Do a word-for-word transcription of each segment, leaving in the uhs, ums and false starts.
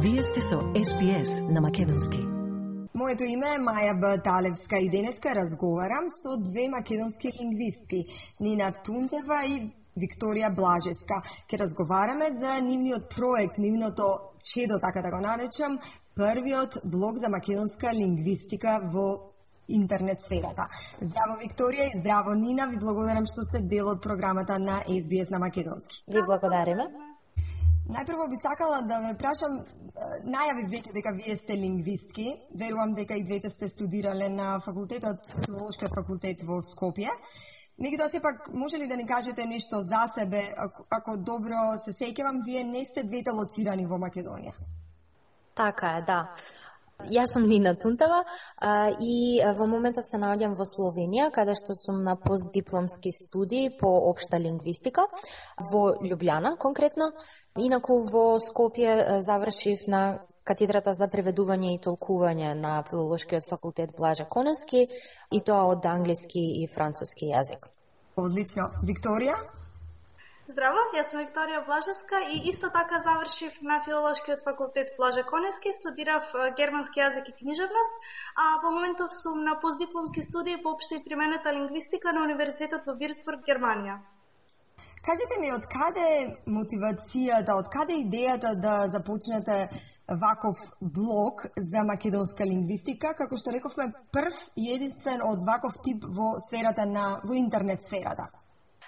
Вие сте со Ес Би Ес на македонски. Моето име е Маја Баталевска и денеска разговарам со две македонски лингвистки, Нина Тунтева и Викторија Блажеска. Ке разговараме за нивниот проект, нивното чедо, така да го наречам, првиот блог за македонска лингвистика во интернет сферата. Здраво Викторија и здраво Нина, ви благодарам што сте дел од програмата на Ес Би Ес на македонски. Ви благодариме. Најпрво би сакала да ве прашам, најави веќе дека вие сте лингвистки, верувам дека и двете сте студирале на факултетот, филолошкиот факултет во Скопје. Меѓутоа сепак може ли да ни кажете нешто за себе, ако, ако добро се сеќавам, вие не сте двете лоцирани во Македонија? Така е, да. Јас сум Нина Тунтева а, и а, во моментов се наоѓам во Словенија, каде што сум на постдипломски студии по општа лингвистика во Љубљана конкретно. Инаку во Скопје завршив на катедрата за преведување и толкување на филолошкиот факултет Блаже Конески и тоа од англиски и француски јазик. Одлично. Викторија? Здраво, јас сум Викторија Блажеска и исто така завршив на филолошкиот факултет Блаже Конески, студирав германски јазик и книжевност, а во моментов сум на постдипломски студии по општа и применета лингвистика на Универзитетот во Вирцбург, Германија. Кажете ми, од каде мотивацијата, од каде идејата да започнете ваков блог за македонска лингвистика, како што рековме, прв и единствен од ваков тип во сферата на во интернет сферата?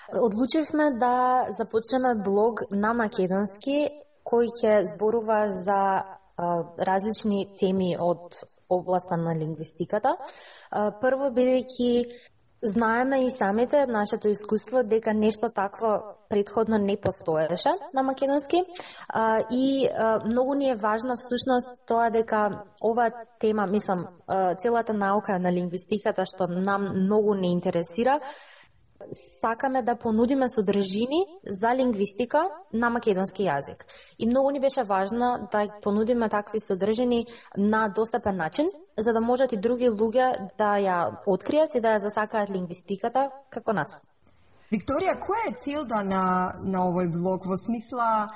Одлучивме да започнеме блог на македонски кој ќе зборува за а, различни теми од областа на лингвистиката. А, прво, бидејќи знаеме и самите нашето искуство дека нешто такво предходно не постоеше на македонски а, и а, многу ни е важна всушност тоа дека ова тема, мислам, а, целата наука на лингвистиката што нам многу не интересира, сакаме да понудиме содржини за лингвистика на македонски јазик. И многу ни беше важно да понудиме такви содржини на достапен начин, за да можат и други луѓе да ја откријат и да ја засакаат лингвистиката како нас. Викторија, која е целта на, на овој блог? Во смисла,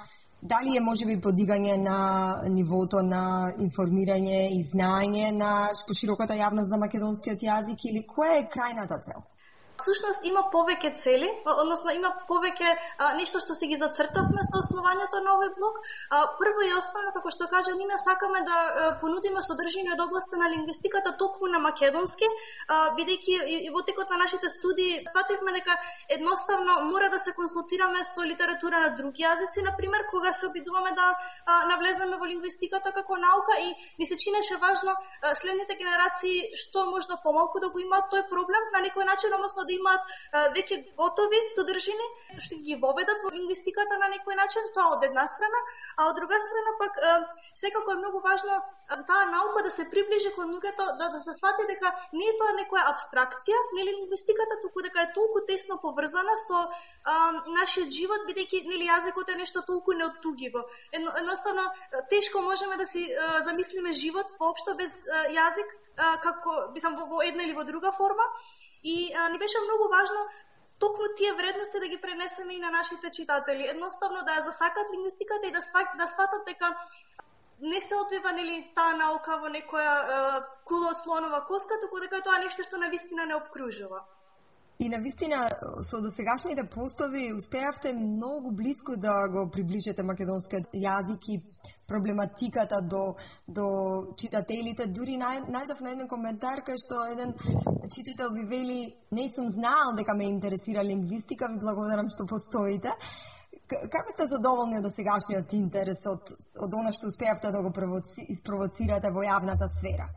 дали е можеби подигање на нивото на информирање и знаење на пошироката јавност за македонскиот јазик или која е крајната цел? Всушност има повеќе цели, односно има повеќе а, нешто што си ги зацртавме со основањето на овој блог. А, прво и основно, како што кажа Нина, сакаме да а, понудиме содржини од областа на лингвистиката токму на македонски, а, бидејќи и, и во текот на нашите студии сфативме дека едноставно мора да се консултираме со литература на други јазици, например, кога се обидуваме да а, навлеземе во лингвистиката како наука и ни се чинеше важно а, следните генерации што можно помалку да го имаат тој проблем на некој начин, односно да имаат веќе готови содржини што ги воведат во лингвистиката на некој начин, тоа од една страна, а од друга страна пак секако е многу важно таа наука да се приближи кон луѓето, да, да се свати дека не е тоа некоја абстракција, нели лингвистиката, туку дека е толку тесно поврзана со а, нашиот живот, бидејќи нели јазикот е нешто толку неоттугиво. Едно, едноставно тешко можеме да си а, замислиме живот воопшто без а, јазик, а, како мислам во, во една или во друга форма. И а, ни беше многу важно токму тие вредности да ги пренесеме и на нашите читатели. Едноставно да ја засакат лингвистиката и да сват, да сватат дека не се одвива нели таа наука во некоја а, кула од слонова коска, туку дека тоа нешто што навистина не обкружува. И навистина со досегашните постови успеавте многу блиску да го приближите македонскиот јазик и проблематиката до, до читателите. Дури нај, најдов на еден коментар кај што еден читател ви вели: не сум знаел дека ме интересира лингвистика, ви благодарам што постоите. Како сте задоволни од досегашниот интерес, од, од она што успеавте да го испровоцирате во јавната сфера?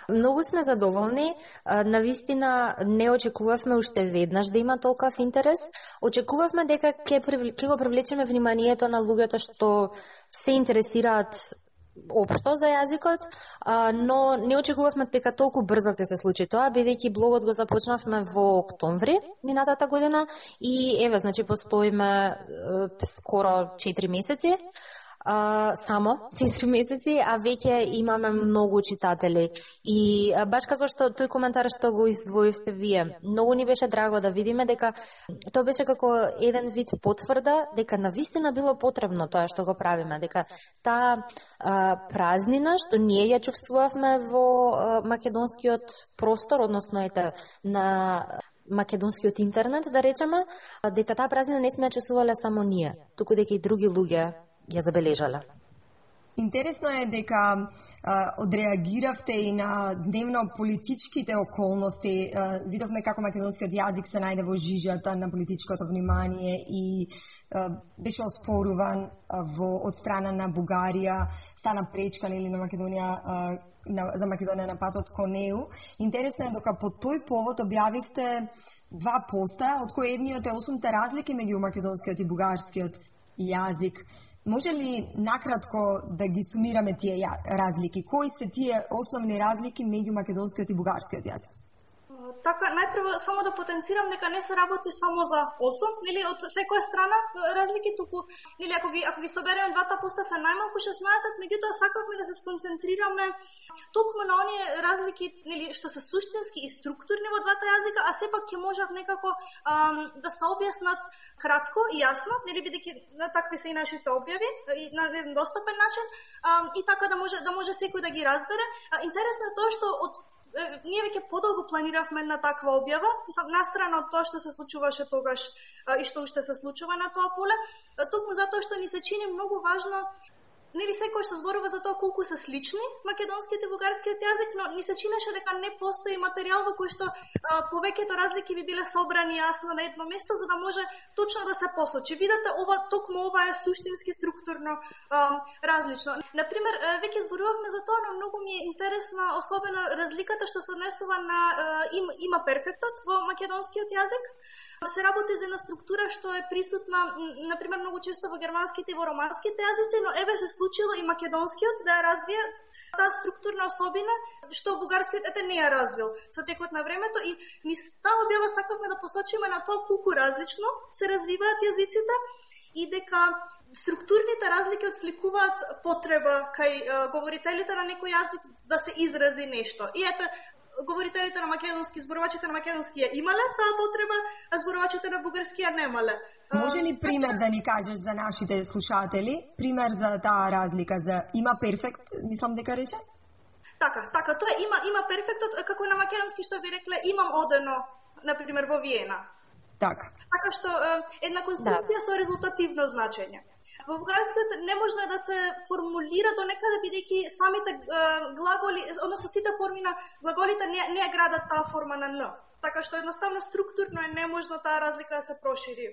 Многу сме задоволни. Навистина не очекувавме уште веднаш да има толков интерес. Очекувавме дека ќе ќе го привлечеме вниманието на луѓето што се интересираат општо за јазикот, но не очекувавме дека толку брзо ќе се случи тоа, бидејќи блогот го започнавме во октомври минатата година и еве, значи постоиме скоро четири месеци. а, само четири месеци, а веќе имаме многу читатели. И а, баш како што тој коментар што го издвоивте вие, многу ни беше драго да видиме дека тоа беше како еден вид потврда дека навистина било потребно тоа што го правиме, дека таа а, празнина што ние ја чувствувавме во а, македонскиот простор, односно ете на македонскиот интернет, да речеме, дека таа празнина не сме ја чувствувале само ние, туку дека и други луѓе ја забележале. Интересно е дека а, одреагиравте и на дневно-политичките околности. А, видовме како македонскиот јазик се најде во жижата на политичкото внимание и а, беше оспоруван а, во, од страна на Бугарија, стана пречка или на Македонија а, на, за Македонија на патот кон неу. Интересно е дека по тој повод објавивте два поста, од кои едниот е осумте разлики меѓу македонскиот и бугарскиот јазик. Може ли накратко да ги сумираме тие разлики? Кои се тие основни разлики меѓу македонскиот и бугарскиот јазик? Така, најпрво само да потенцирам дека не се работи само за осум, нели, од секоја страна разлики, туку, нели, ако ги, ако ги собереме двата поста се најмалку шеснаесет, меѓутоа сакавме да се сконцентрираме токму на оние разлики, нели, што се суштински и структурни во двата јазика, а сепак ќе можат некако ам, да се објаснат кратко и јасно, нели, бидејќи такви се и нашите објави, и на еден достапен начин, ам, и така да може да може секој да ги разбере. А, интересно е тоа што од ние веќе подолго планиравме една таква објава, мислам, настрана од тоа што се случуваше тогаш а, и што уште се случува на тоа поле, токму затоа што ни се чини многу важно, нели секој што зборува за тоа колку се слични македонскиот и бугарскиот јазик, но ни се чинеше дека не постои материјал во кој што а, повеќето разлики би биле собрани јасно на едно место, за да може точно да се посочи. Видете, ова токму ова е суштински структурно а, различно. Например, веќе зборувавме за тоа, но многу ми е интересна особено разликата што се однесува на а, им, има перфектот во македонскиот јазик. Се работи за една структура што е присутна, например, многу често во германските и во романските јазици, но еве се случило и македонскиот да ја развие таа структурна особина што бугарскиот ете не ја развил со текот на времето, и низ таа објава сакавме да посочиме на тоа колку различно се развиваат јазиците и дека структурните разлики отсликуваат потреба кај е, говорителите на некој јазик да се изрази нешто. И ете, говорителите на македонски, зборувачите на македонски ја имале таа потреба, а зборувачите на бугарски ја немале. Може ли пример да ни кажеш за нашите слушатели? Пример за таа разлика, за има перфект, мислам дека рече? Така, така, тоа има има перфектот, како на македонски што ви рекле, имам одено, на пример во Виена. Така. Така што една конструкција да. Со резултативно значење. Во бугарскиот неможно е да се формулира до некаде, бидејќи самите е, глаголи, односно сите форми на глаголите не, не градат таа форма на н. Така што едноставно структурно е неможно таа разлика да се прошири.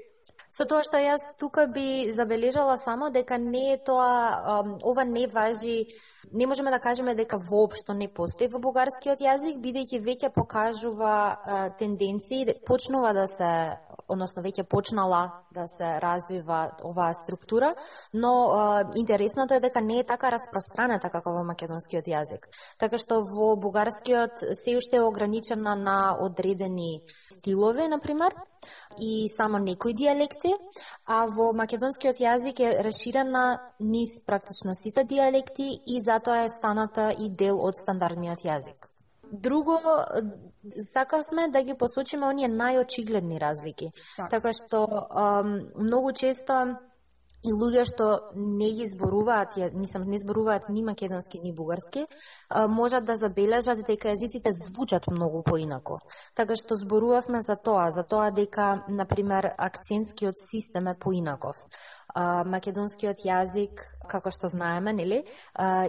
Со тоа што јас тука би забележала само дека не е тоа, ова не важи, не можеме да кажеме дека воопшто не постои во бугарскиот јазик, бидејќи веќе покажува тенденции, почнува да се, односно веќе почнала да се развива оваа структура, но интересното е дека не е така распространета како во македонскиот јазик. Така што во бугарскиот се уште е ограничена на одредени стилови, например, и само некои дијалекти, а во македонскиот јазик е расширена низ практично сите дијалекти и затоа е станата и дел од стандардниот јазик. Друго, сакавме да ги посочиме оние најочигледни разлики. Так. Така што ам, многу често и луѓе што не ги зборуваат, мислам, не зборуваат ни македонски ни бугарски, можат да забележат дека јазиците звучат многу поинако. Така што зборувавме за тоа, за тоа дека, например, акцентскиот систем е поинаков. Македонскиот јазик, како што знаеме, нели,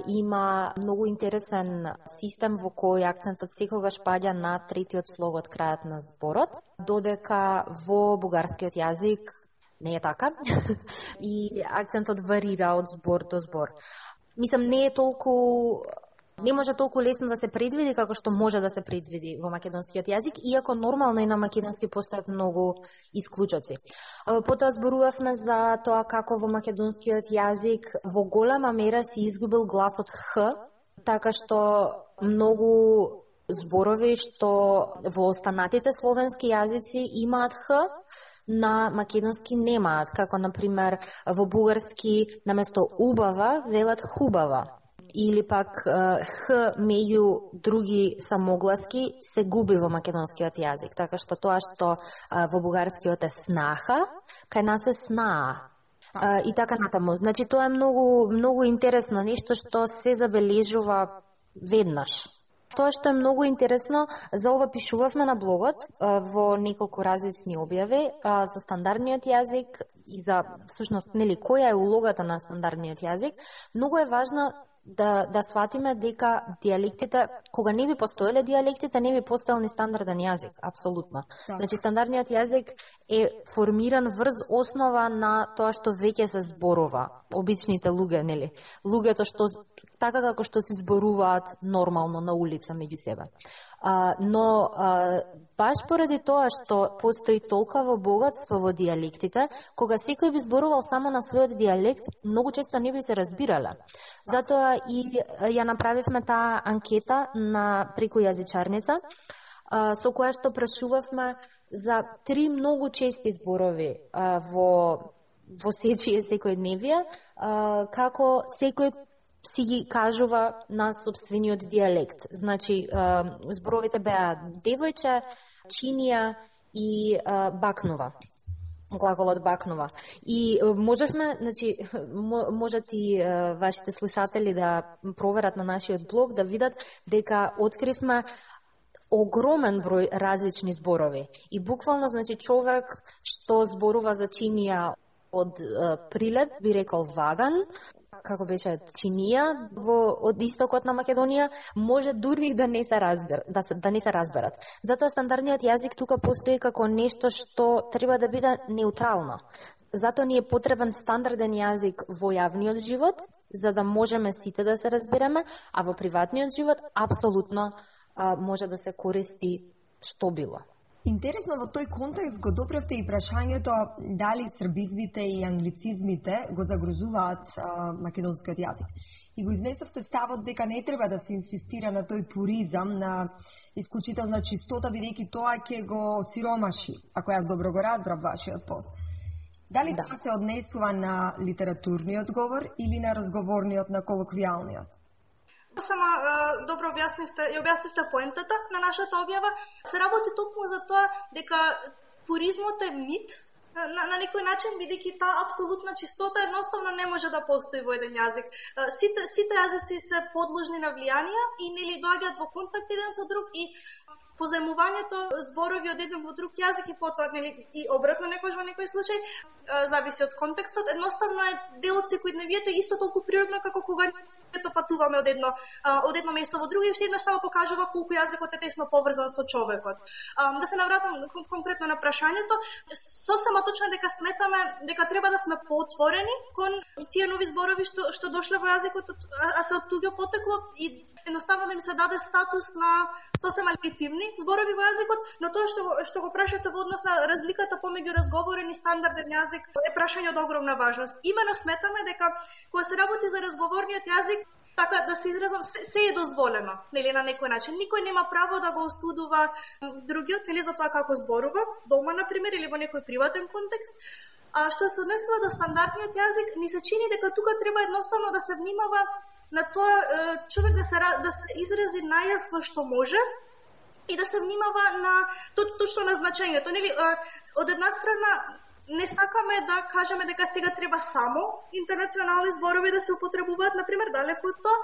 има многу интересен систем во кој акцентот секогаш паѓа на третиот слог од крајот на зборот, додека во бугарскиот јазик не е така. И акцентот варира од збор до збор. Мислам, не е толку не може толку лесно да се предвиди како што може да се предвиди во македонскиот јазик, иако нормално и на македонски постојат многу исклучоци. Потоа зборувавме за тоа како во македонскиот јазик во голема мера се изгубил гласот х, така што многу зборови што во останатите словенски јазици имаат х, на македонски немаат, како на пример во бугарски наместо убава велат хубава, или пак х меѓу други самогласки се губи во македонскиот јазик, така што тоа што во бугарскиот е снаха, кај нас е снаа. Uh, и така натаму. Значи тоа е многу многу интересно, нешто што се забележува веднаш. Тоа што е многу интересно, за ова пишувавме на блогот uh, во неколку различни објави uh, за стандардниот јазик и за всушност нели која е улогата на стандардниот јазик. Многу е важно да да сватиме дека дијалектите, кога не би постоеле дијалектите, не би постоел ни стандарден јазик, апсолутно. Так. Значи стандардниот јазик е формиран врз основа на тоа што веќе се зборува, обичните луѓе, нели? Луѓето што така како што се зборуваат нормално на улица меѓу себе. А, но а, баш поради тоа што постои толкаво богатство во дијалектите, кога секој би зборувал само на својот дијалект, многу често не би се разбирале. Затоа и ја направивме таа анкета на преку јазичарница, а, со која што прашувавме за три многу чести зборови а, во во сечие секојдневие, а, како секој си ги кажува на собствениот дијалект. Значи, зборовите беа девојче, чинија и бакнува. Глаголот бакнува. И можевме, значи, можат и вашите слушатели да проверат на нашиот блог, да видат дека откривме огромен број различни зборови. И буквално, значи, човек што зборува за чинија од Прилеп би рекол ваган, како беше чинија во од истокот на Македонија, може дури да не се разбер, да, се, да не се разберат. Затоа стандардниот јазик тука постои како нешто што треба да биде неутрално. Затоа ни е потребен стандарден јазик во јавниот живот, за да можеме сите да се разбереме, а во приватниот живот апсолутно а, може да се користи што било. Интересно, во тој контекст го допревте и прашањето дали србизмите и англицизмите го загрозуваат а, македонскиот јазик. И го изнесовте ставот дека не треба да се инсистира на тој пуризам, на исклучителна чистота, бидејќи тоа ќе го сиромаши, ако јас добро го разбрав вашиот пост. Дали да. Тоа се однесува на литературниот говор или на разговорниот, на колоквијалниот? Сама добро објаснивте, ја објаснивте поентата на нашата објава. Се работи токму за тоа дека пуризмот е мит на, на некој начин, бидејќи таа апсолутна чистота едноставно не може да постои во еден јазик. Сите, сите јазици се подложни на влијанија и нели доаѓаат во контакт еден со друг и позајмувањето зборови од еден во друг јазик и потоа нели и обратно некој во некој случај зависи од контекстот. Едноставно е дел од секојдневието исто толку природно како кога ето патуваме од едно од едно место во друго и уште еднаш само покажува колку јазикот е тесно поврзан со човекот. Да се навратам конкретно на прашањето, сосема точно дека сметаме дека треба да сме поотворени кон тие нови зборови што што дошле во јазикот, а се од туѓо потекло и едноставно да им се даде статус на сосема легитимни зборови во јазикот, но тоа што што го прашате во однос на разликата помеѓу разговорен и стандарден јазик е прашање од огромна важност. Имено сметаме дека кога се работи за разговорниот јазик, така да се изразам, се, се е дозволено, нели на некој начин. Никој нема право да го осудува другиот, нели за тоа како зборува, дома на пример или во некој приватен контекст. А што се однесува до стандардниот јазик, ни се чини дека тука треба едноставно да се внимава на тоа човек да се да се изрази најасно што може и да се внимава на точно на значењето, нели од една страна не сакаме да кажеме дека сега треба само интернационални зборови да се употребуваат, например, далеку од тоа,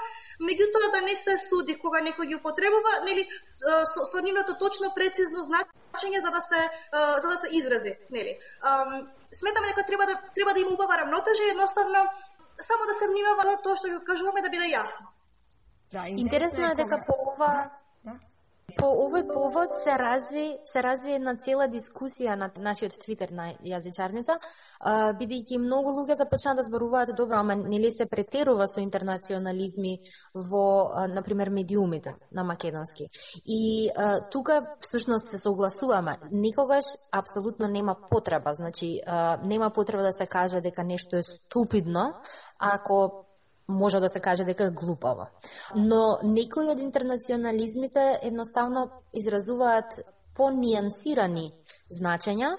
меѓутоа да не се суди кога некој ги употребува, нели со, со нивното точно прецизно значење за да се за да се изрази, нели. Сметаме дека треба да треба да има убава рамнотежа и едноставно само да се внимава на тоа што го кажуваме да биде јасно. Да, интересно е дека по ова да, да. По овој повод се разви се разви една цела дискусија на нашиот Твитер на јазичарница, бидејќи многу луѓе започнаа да зборуваат добро, ама нели се претерува со интернационализми во на пример медиумите на македонски. И а, тука всушност се согласуваме, никогаш апсолутно нема потреба, значи а, нема потреба да се каже дека нешто е ступидно ако може да се каже дека е глупаво. Но некои од интернационализмите едноставно изразуваат понијансирани значења,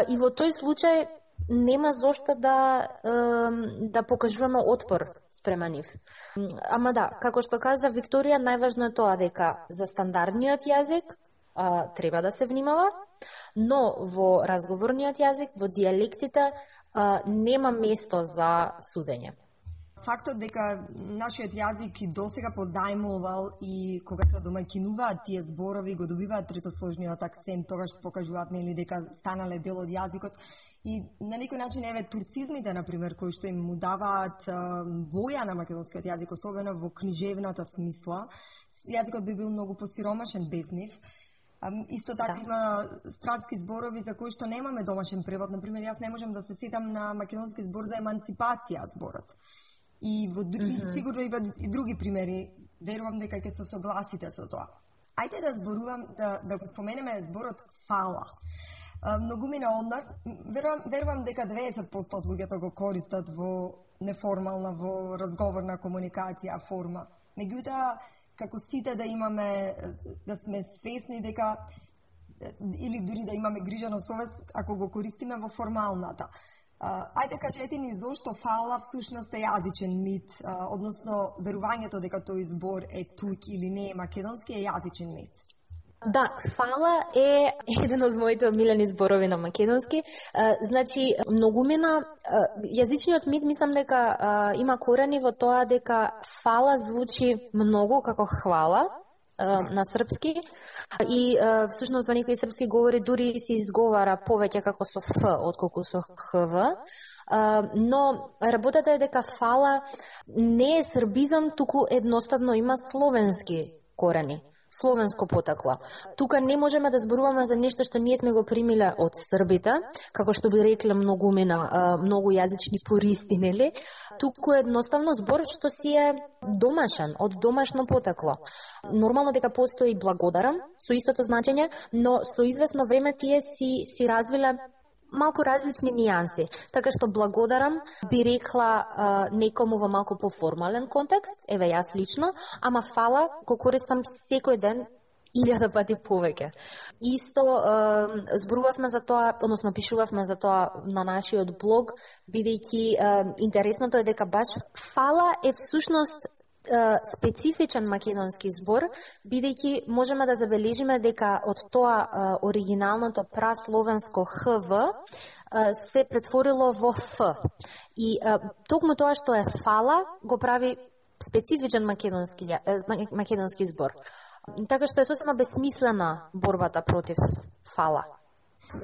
и во тој случај нема зошто да да покажуваме отпор спрема нив. Ама да, како што кажа Викторија, најважно е тоа дека за стандардниот јазик а, треба да се внимава, но во разговорниот јазик, во дијалектите, а, нема место за судење. Фактот дека нашиот јазик и досега позајмувал и кога се домаќинуваат тие зборови, го добиваат третосложниот акцент, тогаш покажуваат нели дека станале дел од јазикот. И на некој начин, еве, турцизмите, например, кои што им му даваат боја на македонскиот јазик, особено во книжевната смисла, јазикот би бил многу посиромашен без нив. Исто така да. Има странски зборови за кои што немаме домашен превод. Например, јас не можам да се сетам на македонски збор за еманципација зборот. И во mm-hmm. сигурно има и други примери. Верувам дека ќе се согласите со тоа. Ајде да зборувам, да, да го споменеме зборот фала. Многумина од нас, верувам, верувам дека деветдесет проценти од луѓето го користат во неформална, во разговорна комуникација форма. Меѓутоа, како сите да имаме, да сме свесни дека, или дури да имаме грижа на совест, ако го користиме во формалната. Ајде кажете ни зошто фала всушност е јазичен мит, односно верувањето дека тој збор е тук или не е македонски е јазичен мит. Да, фала е еден од моите омилени зборови на македонски. Значи, многумина, јазичниот мит мислам дека има корени во тоа дека фала звучи многу како хвала на српски и всушност во некои српски говори дури се изговара повеќе како со ф отколку со хв. Но работата е дека фала не е србизам, туку едноставно има словенски корени, словенско потекло. Тука не можеме да зборуваме за нешто што ние сме го примиле од србите, како што би рекле многумина, многу јазични пористи, нели? Туку едноставно збор што си е домашен, од домашно потекло. Нормално дека постои благодарам, со истото значење, но со известно време тие си, си развиле малку различни нијанси. Така што благодарам би рекла а, некому во малку поформален контекст, еве јас лично, ама фала го користам секој ден илјада пати повеќе. Исто а, зборувавме за тоа, односно пишувавме за тоа на нашиот блог, бидејќи а, интересното е дека баш фала е всушност специфичен македонски збор, бидејќи можеме да забележиме дека од тоа а, оригиналното прасловенско хв а, се претворило во ф. И а, токму тоа што е фала го прави специфичен македонски, македонски збор. Така што е сосема бесмислена борбата против фала.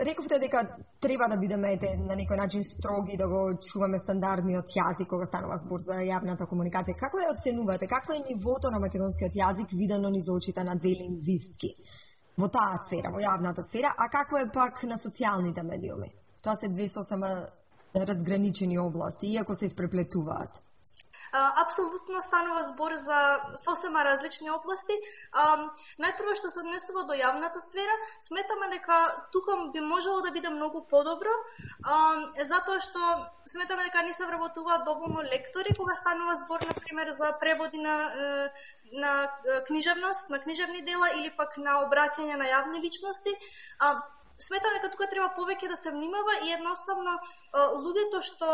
Рековте дека треба да бидеме на некој начин строги, да го чуваме стандардниот јазик кога станува збор за јавната комуникација. Како ја оценувате? Какво е нивото на македонскиот јазик видено низ очите на две лингвистки во таа сфера, во јавната сфера, а како е пак на социјалните медиуми? Тоа се две сосема разграничени области, иако се испреплетуваат. Апсолутно станува збор за сосема различни области. Најпрво што се однесува до јавната сфера, сметаме дека тука би можело да биде многу подобро, затоа што сметаме дека не се вработуваат доволно лектори кога станува збор, например, за преводи на, на книжевност, на книжевни дела или пак на обраќање на јавни личности. Сметам дека тука треба повеќе да се внимава и едноставно луѓето што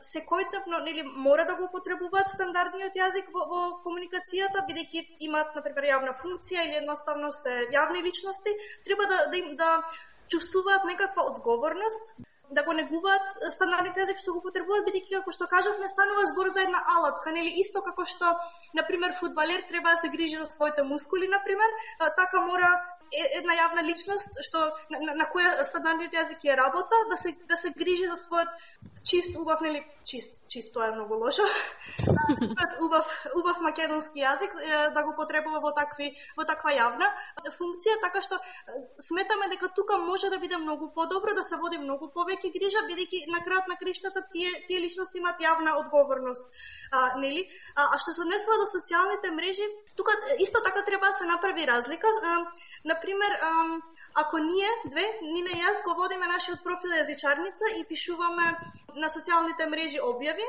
секојдневно нели мора да го употребуваат стандардниот јазик во, во комуникацијата, бидејќи имаат на пример јавна функција или едноставно се јавни личности, треба да да им да чувствуваат некаква одговорност, да го негуваат стандардниот јазик што го употребуваат, бидејќи како што кажавме станува збор за една алатка, нели исто како што на пример фудбалер треба да се грижи за своите мускули, на пример, така мора една јавна личност што на, на, на која стандардниот јазик е работа да се да се грижи за својот чист, убав, нели чист, чист тоа е многу лошо. убав, убав македонски јазик да го потребува во такви во таква јавна функција, така што сметаме дека тука може да биде многу подобро, да се води многу повеќе грижа, бидејќи на крајот на криштата тие тие личности имаат јавна одговорност. А, нели? А, а што се однесува до социјалните мрежи, тука исто така треба да се направи разлика. А, например, ако ние две, Нина и јас, го водиме нашиот профил јазичарница и пишуваме на социјалните мрежи објави,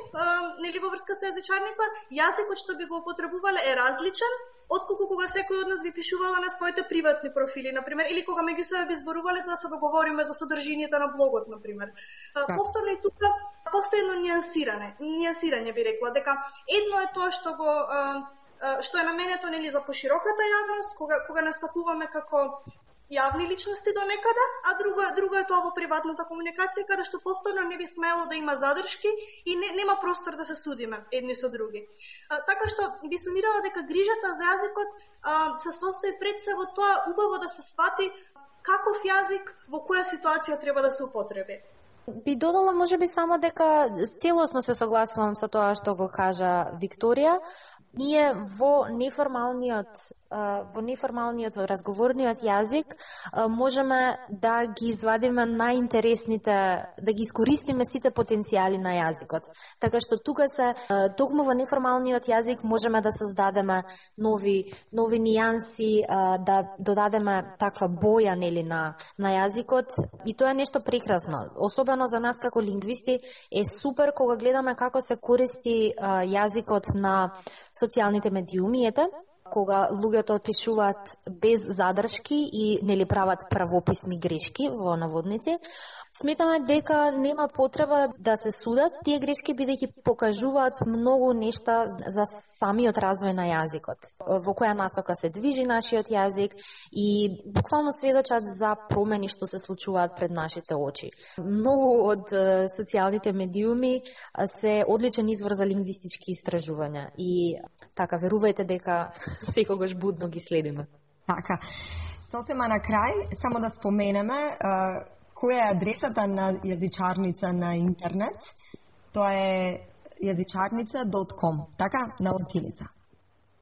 нели во врска со јазичарница, јазикот што би го употребувале е различен отколку кога секој од нас би пишувала на своите приватни профили, например, или кога меѓу себе би зборувале за да се договориме за содржината на блогот, например. Повторно и тука постои едно нијансирање, нијансирање би рекла, дека едно е тоа што го што е наменето нели за пошироката јавност, кога кога настапуваме како јавни личности до некаде, а друго друго е тоа во приватната комуникација каде што повторно не би смело да има задршки и не, нема простор да се судиме едни со други. А, така што би сумирала дека грижата за јазикот а, се состои пред се во тоа убаво да се свати каков јазик во која ситуација треба да се употреби. Би додала можеби само дека целосно се согласувам со тоа што го кажа Викторија. Ние во неформалниот во неформалниот, во разговорниот јазик можеме да ги извадиме најинтересните, да ги искористиме сите потенцијали на јазикот. Така што тука се токму во неформалниот јазик можеме да создадеме нови нови нијанси, да додадеме таква боја нели на на јазикот и тоа е нешто прекрасно. Особено за нас како лингвисти е супер кога гледаме како се користи јазикот на социјалните медиуми, ете, кога луѓето пишуваат без задршки и нели прават правописни грешки во наводници. Сметаме дека нема потреба да се судат тие грешки, бидејќи покажуваат многу нешта за самиот развој на јазикот, во која насока се движи нашиот јазик и буквално сведочат за промени што се случуваат пред нашите очи. Многу од социјалните медиуми се одличен извор за лингвистички истражувања и така верувајте дека секогаш будно ги следиме. Така. Сосема на крај, само да споменеме која е адресата на јазичарница на интернет. Тоа е јазичарница точка ком, така, на латиница.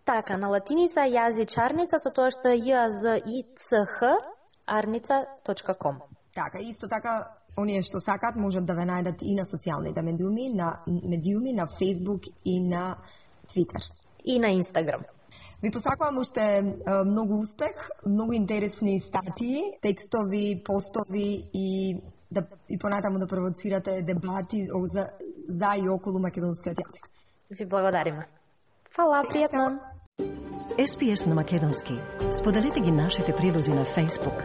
Така, на латиница јазичарница со тоа што е J Z I C H арница точка ком. Така, исто така, оние што сакат можат да ве најдат и на социјалните медиуми, на медиуми, на Facebook и на Twitter. И на Instagram. Ви посакувам уште многу успех, многу интересни статии, текстови, постови и да и понатаму да провоцирате дебати за, за и околу македонскиот јазик. Ви благодариме. Фала, пријатно. Ес Би Ес на македонски. Споделете ги нашите прилози на Facebook,